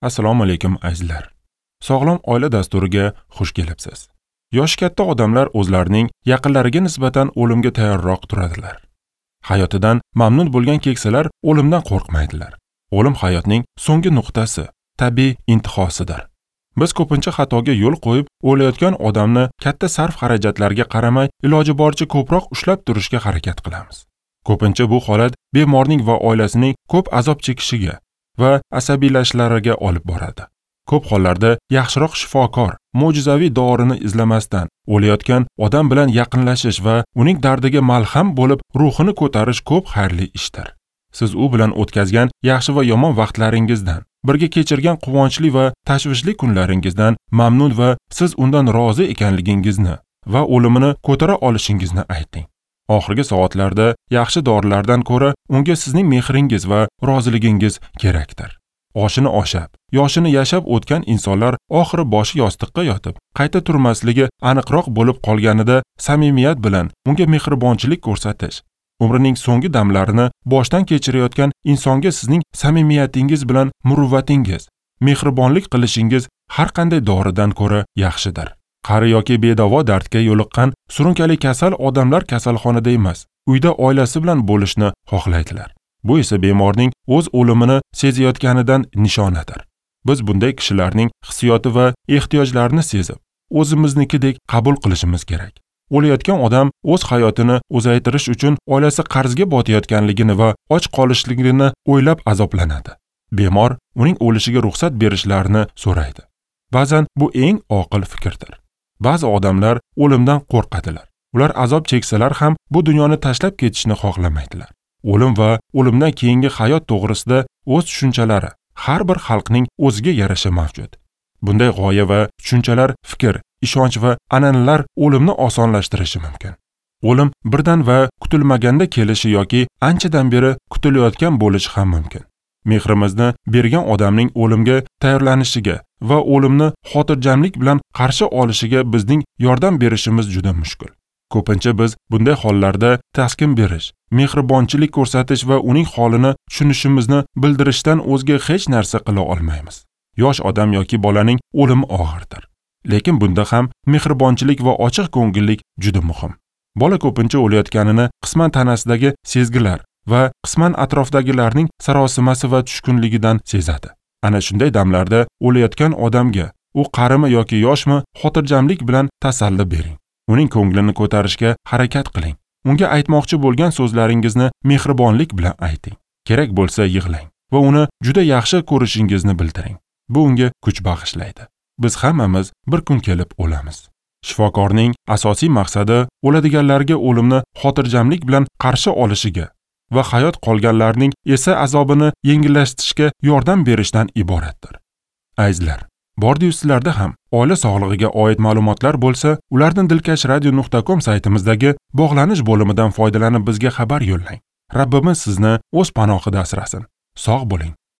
Assalomu alaykum azizlar. Sog'lom oila dasturiga xush kelibsiz. Yoshi katta odamlar o'zlarining yaqinlariga nisbatan o'limga tayyorroq turadilar. Hayotidan mamnun bo'lgan keksalar o'limdan qo'rqmaydilar. O'lim hayotning so'nggi nuqtasi, tabiiy intihosidir. Biz ko'pincha xatoga yo'l qo'yib, o'layotgan odamni katta sarf-xarajatlarga qaramay, iloji boricha ko'proq ushlab turishga harakat qilamiz. Ko'pincha bu holat bemorning va oilasining ko'p azob chekishiga va asabiylashishlariga olib boradi. Ko'p hollarda yaxshiroq shifokor mo'jizaviy dorini izlamasdan o'layotgan odam bilan yaqinlashish va uning dardiga malham bo'lib ruhini ko'tarish ko'p xayrli ishdir. Siz u bilan o'tkazgan yaxshi va yomon vaqtlaringizdan, birga kechirgan quvonchli va tashvishli kunlaringizdan mamnun va siz undan rozi ekanligingizni va o'limini ko'tara olishingizni ayting. Oxirgi soatlarda yaxshi dorilardan ko'ra unga sizning mehringiz va roziligingiz kerakdir. Oshini oshab, yoshini yashab o'tgan insonlar oxiri boshi yostiqqa yotib, qayta turmasligi aniqroq bo'lib qolganida samimiyat bilan unga mehribonchilik ko'rsatish, umrining so'nggi damlarini boshdan kechirayotgan insonga sizning samimiyatingiz bilan muruvvatingiz, mehribonlik qilishingiz har qanday doridan ko'ra yaxshidir. Qari yoki bedavo dardga yo'liqqan surunkali kasal odamlar kasalxonada emas, uyda oilasi bilan bo'lishni xohlaydilar. Bu esa bemorning o'z o'limini sezayotganidan nishonadir. Biz bunday kishilarning hissiyoti va ehtiyojlarini sezib, o'zimiznikidek qabul qilishimiz kerak. O'layotgan odam o'z hayotini uzaytirish uchun oilasi qarzga botayotganligini va och qolishligini o'ylab azoblanadi. Bemor uning o'lishiga ruxsat berishlarini so'raydi. Ba'zan bu eng oqil fikrdir. Ba'zi odamlar o'limdan qo'rqadilar. Ular azob cheksalar ham bu dunyoni tashlab ketishni xohlamaydilar. O'lim va o'limdan keyingi hayot to'g'risida o'z tushunchalari har bir xalqning o'ziga yarasha mavjud. Bunday g'oya va tushunchalar fikr, ishonch va an'analar o'limni osonlashtirishi mumkin. O'lim birdan va kutilmaganda kelishi yoki anchadan beri kutilayotgan bo'lishi ham mumkin. Mehrimizni bergan odamning o'limga tayyorlanishiga va o'limni xotirjamlik bilan qarshi olishiga bizning yordam berishimiz juda mushkul. Ko'pincha biz bunday hollarda taskin berish, mehribonchilik ko'rsatish va uning holini tushunishimizni bildirishdan o'zga hech narsa qila olmaymiz. Yosh odam yoki bolaning o'limi og'irdir. Lekin bunda ham mehribonchilik va ochiq ko'ngillik juda muhim. Bola ko'pincha o'layotganini qisman tanasidagi sezgilar va qisman atrofdagilarning sarosimasi va tushkunligidan sezadi. Ana shunday damlarda o'layotgan odamga, u qarimi yoki yoshmi, xotirjamlik bilan tasalli bering. Uning ko'nglini ko'tarishga harakat qiling. Unga aytmoqchi bo'lgan so'zlaringizni mehribonlik bilan ayting. Kerak bo'lsa yig'lang va uni juda yaxshi ko'rishingizni bildiring. Bu unga kuch bag'ishlaydi. Biz hammamiz bir kun kelib o'lamiz. Shifokorning asosiy maqsadi o'ladiganlarga o'limni xotirjamlik bilan qarshi olishiga va hayot qolganlarning esa azobini yengillashtirishga yordam berishdan iboratdir. Azizlar, bordi-yu sizlarda ham oila sog'lig'iga oid ma'lumotlar bo'lsa, ularni dilkashradio.com saytimizdagi bog'lanish bo'limidan foydalanib bizga xabar yo'llang. Rabbimiz sizni o'z panohida asrasin. Sog' bo'ling,